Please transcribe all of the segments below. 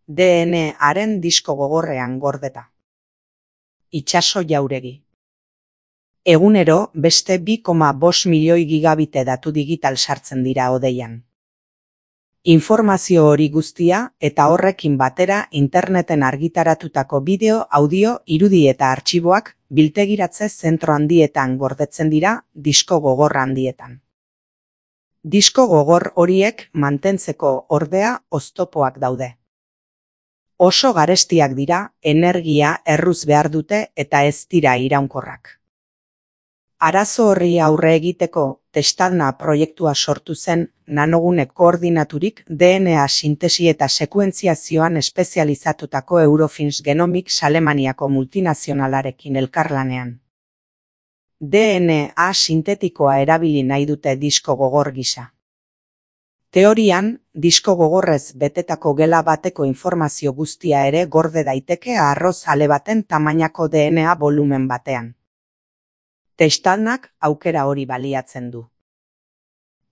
DNA-aren disko gogorrean gordeta. Itsaso jauregi. Egunero beste 2,5 milioi gigabite datu digital sartzen dira hodeian. Informazio hori guztia eta horrekin batera interneten argitaratutako bideo, audio, irudi eta artxiboak biltegiratze zentro handietan gordetzen dira disko gogor handietan. Disko gogor horiek mantentzeko ordea oztopoak daude. Oso garestiak dira, energia erruz behar dute eta ez dira iraunkorrak. Arazo horri aurre egiteko Testadna proiektua sortu zen nanogune koordinaturik DNA sintesi eta sekuentziazioan espezializatutako Eurofins Genomics Alemaniako multinazionalarekin elkarlanean. DNA sintetikoa erabili nahi dute disko gogor gisa. Teorian, disko gogorrez betetako gela bateko informazio guztia ere gorde daiteke arroz ale baten tamainako DNA volumen batean. Testadnak aukera hori baliatzen du.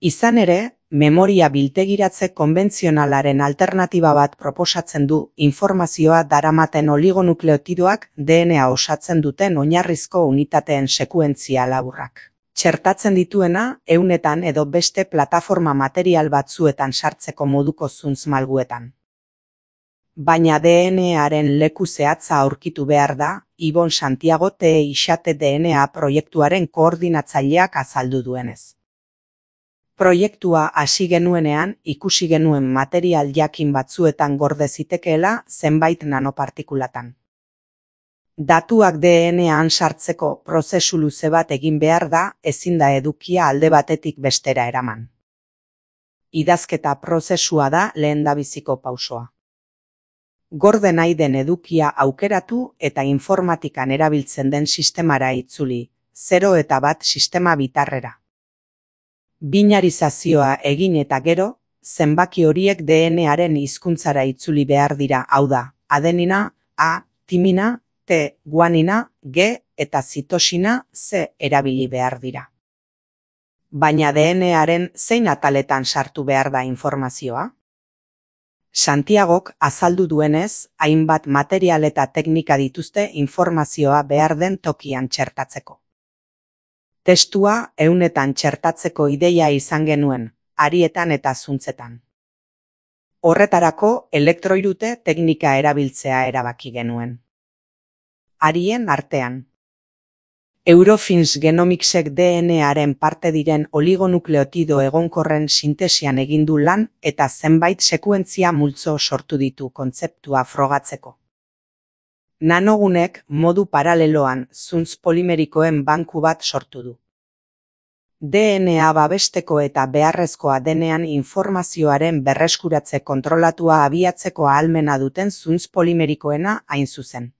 Izan ere, memoria biltegiratze konbentzionalaren alternatiba bat proposatzen du informazioa daramaten oligonukleotidoak DNA osatzen duten oinarrizko unitateen sekuentzia laburrak. Txertatzen dituena, ehunetan edo beste plataforma material batzuetan sartzeko moduko zuntz malguetan. Baina DNA-aren leku zehatza aurkitu behar da, Ibon Santiago Teixate DNA proiektuaren koordinatzaileak azaldu duenez. Proiektua hasi genuenean ikusi genuen material jakin batzuetan gorde zitekeela zenbait nanopartikulatan. Datuak DNA-an sartzeko prozesu luze bat egin behar da, ezin da edukia alde batetik bestera eraman. Idazketa prozesua da lehendabiziko pausoa. Gorde nahi den edukia aukeratu eta informatikan erabiltzen den sistemara itzuli, 0 eta 1 sistema bitarrera. Binarizazioa egin eta gero, zenbaki horiek DNA-aren hizkuntzara itzuli behar dira, hau da, adenina, A, timina, T, guanina, G eta zitosina, C erabili behar dira. Baina DNA-aren zein ataletan sartu behar da informazioa? Santiagok azaldu duenez, hainbat material eta teknika dituzte informazioa behar den tokian txertatzeko. Testua ehunetan txertatzeko ideia izan genuen, harietan eta zuntzetan. Horretarako elektroirute teknika erabiltzea erabaki genuen. Harien artean. Eurofins Genomicsek DNA-aren parte diren oligonukleotido egonkorren sintesian egin du lan eta zenbait sekuentzia multzo sortu ditu kontzeptua frogatzeko. Nanogunek modu paraleloan zuntz polimerikoen banku bat sortu du. DNA babesteko eta beharrezkoa denean informazioaren berreskuratze kontrolatua abiatzeko ahalmena duten zuntz polimerikoena hain zuzen.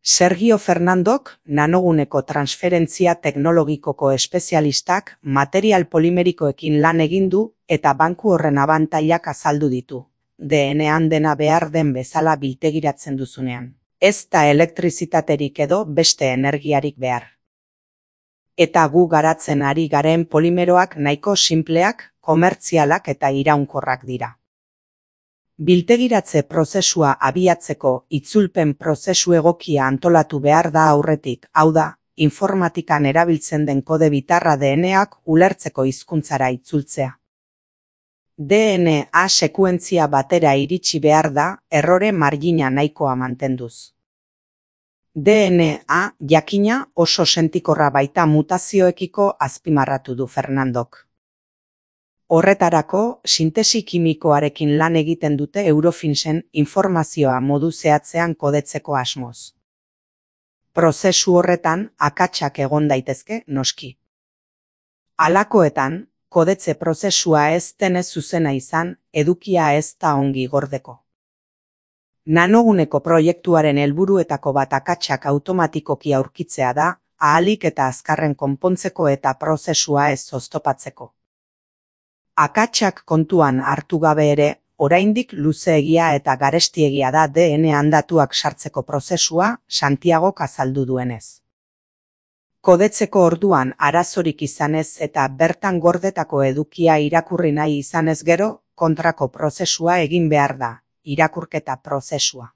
Sergio Fernandok, nanoguneko transferentzia teknologikoko espezialistak, material polimerikoekin lan egin du eta banku horren abantailak azaldu ditu. DNA-an dena behar den bezala biltegiratzen duzunean. Ez da elektrizitaterik edo beste energiarik behar. Eta gu garatzen ari garen polimeroak nahiko sinpleak, komertzialak eta iraunkorrak dira. Biltegiratze prozesua abiatzeko itzulpen prozesu egokia antolatu behar da aurretik, hau da, informatikan erabiltzen den kode bitarra DNA-ak ulertzeko hizkuntzara itzultzea. DNA sekuentzia batera iritsi behar da, errore margina nahikoa mantenduz. DNA jakina oso sentikorra baita mutazioekiko azpimarratu du Fernandok. Horretarako, sintesi kimikoarekin lan egiten dute Eurofinsen informazioa modu zehatzean kodetzeko asmoz. Prozesu horretan akatsak egon daitezke noski. Halakoetan, kodetze prozesua ez denez zuzena izan, edukia ez da ongi gordeko. Nanoguneko proiektuaren helburuetako bat akatsak automatikoki aurkitzea da, ahalik eta azkarren konpontzeko eta prozesua ez oztopatzeko. Akatsak kontuan hartu gabe ere, oraindik luzeegia eta garestiegia da DNA-an datuak sartzeko prozesua, Santiagok azaldu duenez. Kodetzeko orduan arazorik izanez eta bertan gordetako edukia irakurri nahi izanez gero, kontrako prozesua egin behar da, irakurketa prozesua.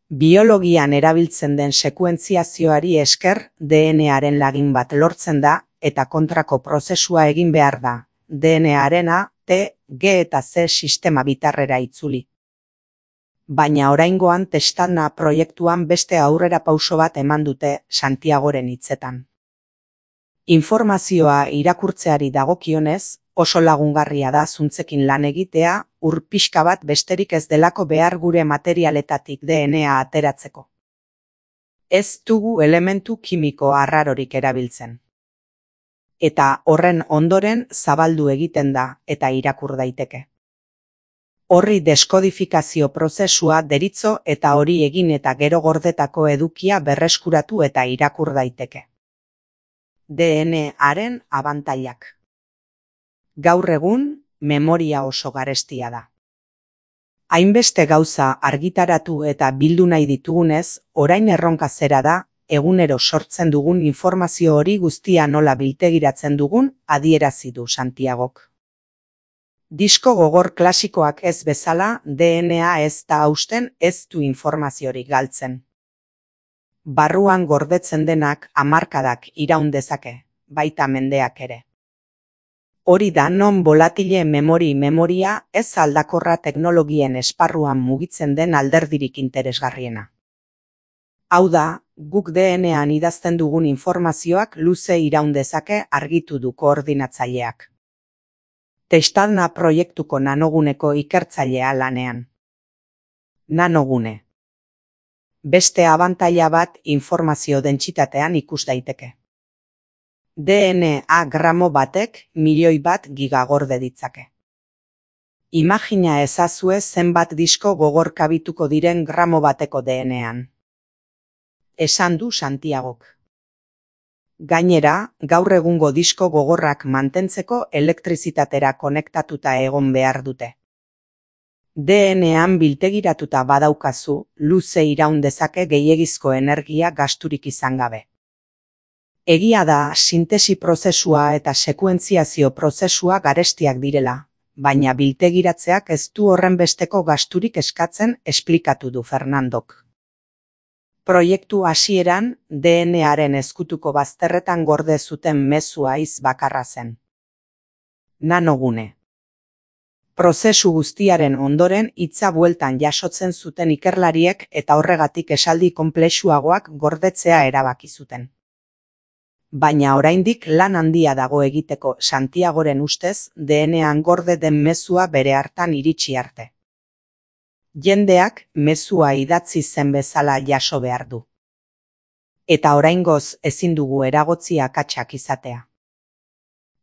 Biologian erabiltzen den sekuentziazioari esker DNA-aren lagin bat lortzen da eta kontrako prozesua egin behar da, DNA-arena T, G eta C sistema bitarrera itzuli. Baina oraingoan Testadna proiektuan beste aurrera pauso bat eman dute Santiagoren hitzetan. Informazioa irakurtzeari dagokionez, oso lagungarria da zuntzekin lan egitea, ur pixka bat besterik ez delako behar gure materialetatik DNA ateratzeko. Ez dugu elementu kimiko arrarorik erabiltzen. Eta horren ondoren zabaldu egiten da eta irakur daiteke. Horri deskodifikazio prozesua deritzo eta hori egin eta gero gordetako edukia berreskuratu eta irakur daiteke. DNA-aren abantailak. Gaur egun, memoria oso garestia da. Hainbeste gauza argitaratu eta bildu nahi ditugunez, orain erronka zera da, egunero sortzen dugun informazio hori guztia nola biltegiratzen dugun adierazi du Santiagok. Disko gogor klasikoak ez bezala, DNA ez da hausten ez du informaziorik galtzen. Barruan gordetzen denak hamarkadak iraun dezake, baita mendeak ere. Hori da non volatile memoria ez aldakorra teknologien esparruan mugitzen den alderdirik interesgarriena. Hau da, guk DNA-an idazten dugun informazioak luze iraun dezake argitu du koordinatzaileak. Testadna proiektuko nanoguneko ikertzailea lanean. Nanogune. Beste abantaila bat informazio dentsitatean ikus daiteke. DNA gramo batek milioi bat gigagorde ditzake. Imagina ezazue zenbat disko gogor kabituko diren gramo bateko DNA-an. Esan du Santiagok. Gainera, gaur egungo disko gogorrak mantentzeko elektrizitatera konektatuta egon behar dute. DNA-an biltegiratuta badaukazu, luze iraun dezake gehiegizko energia gasturik izan gabe. Egia da, sintesi prozesua eta sekuentziazio prozesua garestiak direla, baina biltegiratzeak ez du horren besteko gasturik eskatzen esplikatu du Fernandok. Proiektu hasieran, DNA-aren ezkutuko bazterretan gorde zuten mezua hitz bakarra zen. Nanogune. Prozesu guztiaren ondoren hitza bueltan jasotzen zuten ikerlariek eta horregatik esaldi konplexuagoak gordetzea erabaki zuten. Baina oraindik lan handia dago egiteko Santiagoren ustez DNA-an gorde den mezua bere hartan iritsi arte. Jendeak mezua idatzi zen bezala jaso behar du. Eta oraingoz ezin dugu eragotzi akatsak izatea.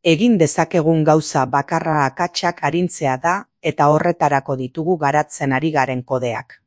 Egin dezakegun gauza bakarra akatsak arintzea da eta horretarako ditugu garatzen ari garen kodeak.